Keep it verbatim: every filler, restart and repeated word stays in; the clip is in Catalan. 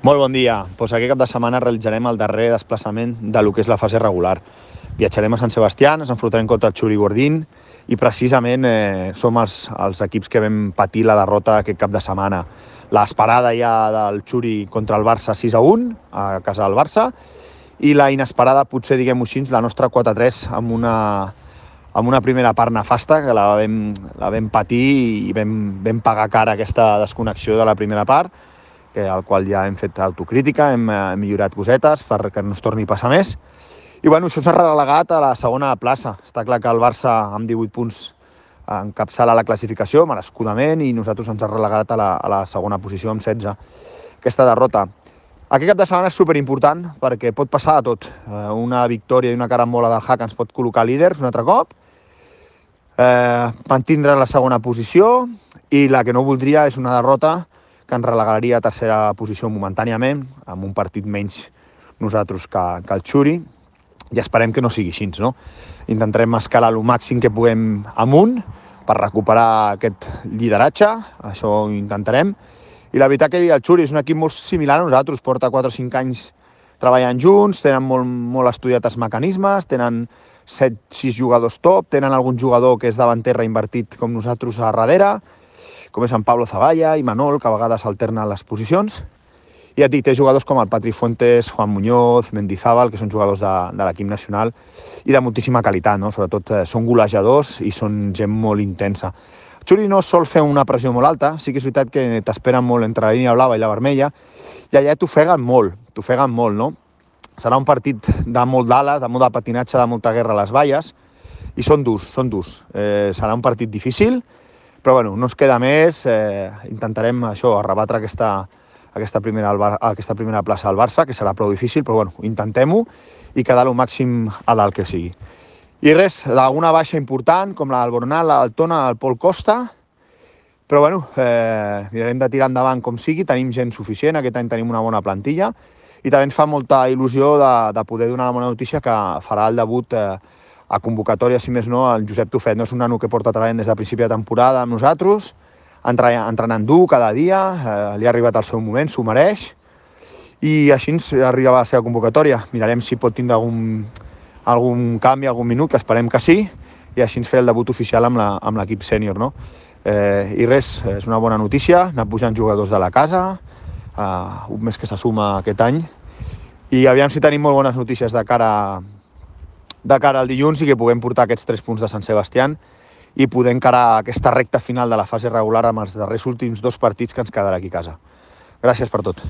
Molt bon dia. Pues aquest cap de setmana realitzarem el darrer desplaçament de lo que és la fase regular. Viatjarem a Sant Sebastià, ens enfrontarem contra el Xuri Guardín i precisament eh, som els, els equips que vam patir la derrota aquest cap de setmana. L'esperada ja del Xuri contra el Barça sis a un, a casa del Barça, i la inesperada, potser diguem-ho així, la nostra quatre a tres amb una, amb una primera part nefasta, que la vam, la vam patir i vam, vam pagar cara aquesta desconnexió de la primera part, que al qual ja hem fet autocrítica, hem, hem millorat cosetes perquè no es torni a passar més. I bueno, això ens ha relegat a la segona plaça. Està clar que el Barça amb divuit punts encapçala la classificació, merescudament, i nosaltres ens ha relegat a la, a la segona posició amb setze. Aquesta derrota. Aquest cap de setmana és superimportant perquè pot passar de tot. Una victòria i una carambola del Hack ens pot col·locar líders un altre cop, eh, mantindre la segona posició, i la que no voldria és una derrota que ens relegaria a tercera posició momentàniament, amb un partit menys nosaltres que, que el Xuri, i esperem que no sigui així, no? Intentarem escalar el màxim que puguem amunt per recuperar aquest lideratge, això ho intentarem. I la veritat que el Xuri és un equip molt similar a nosaltres, porta quatre o cinc anys treballant junts, tenen molt, molt estudiat els mecanismes, tenen set sis jugadors top, tenen algun jugador que és davanter reinvertit com nosaltres a darrere, com és en Pablo Zavalla i Manol, que a vegades alternen les posicions. I ja et dic, té jugadors com el Patri Fuentes, Juan Muñoz, Mendizábal, que són jugadors de, de l'equip nacional i de moltíssima qualitat, no? Sobretot eh, són golejadors i són gent molt intensa. El Xuri no sol fer una pressió molt alta, sí que és veritat que t'esperen molt entre la línia blava i la vermella, i allà t'ofeguen molt, t'ofeguen molt, no? Serà un partit de molt d'ales, de molt de patinatge, de molta guerra a les valles, i són durs, són durs. Eh, serà un partit difícil, però bueno, no ens queda més, eh, intentarem això, arrebatre aquesta, aquesta, primera, aquesta primera plaça al Barça, que serà prou difícil, però bueno, intentem-ho i quedar el màxim a dalt que sigui. I res, d'alguna baixa important, com la del Bornal, la del Tona, el Pol Costa, però bueno, eh, mirarem de tirar endavant com sigui, tenim gent suficient, aquest any tenim una bona plantilla, i també ens fa molta il·lusió de, de poder donar la bona notícia que farà el debut eh, a convocatòria, si més no, el Josep Tufet. No és un nano que porta treballant des del principi de temporada amb nosaltres, entrenant dur cada dia, eh, li ha arribat el seu moment, s'ho mereix, i així ens arriba a la seva convocatòria. Mirarem si pot tindre algun, algun canvi, algun minut, que esperem que sí, i així ens fer el debut oficial amb l'equip sènior, no? Eh, I res, és una bona notícia, anar pujant jugadors de la casa, eh, un mes que se suma aquest any, i aviam si tenim molt bones notícies de cara a de cara al dilluns i que puguem portar aquests tres punts de Sant Sebastià i poder encarar aquesta recta final de la fase regular amb els darrers últims dos partits que ens quedarà aquí a casa. Gràcies per tot.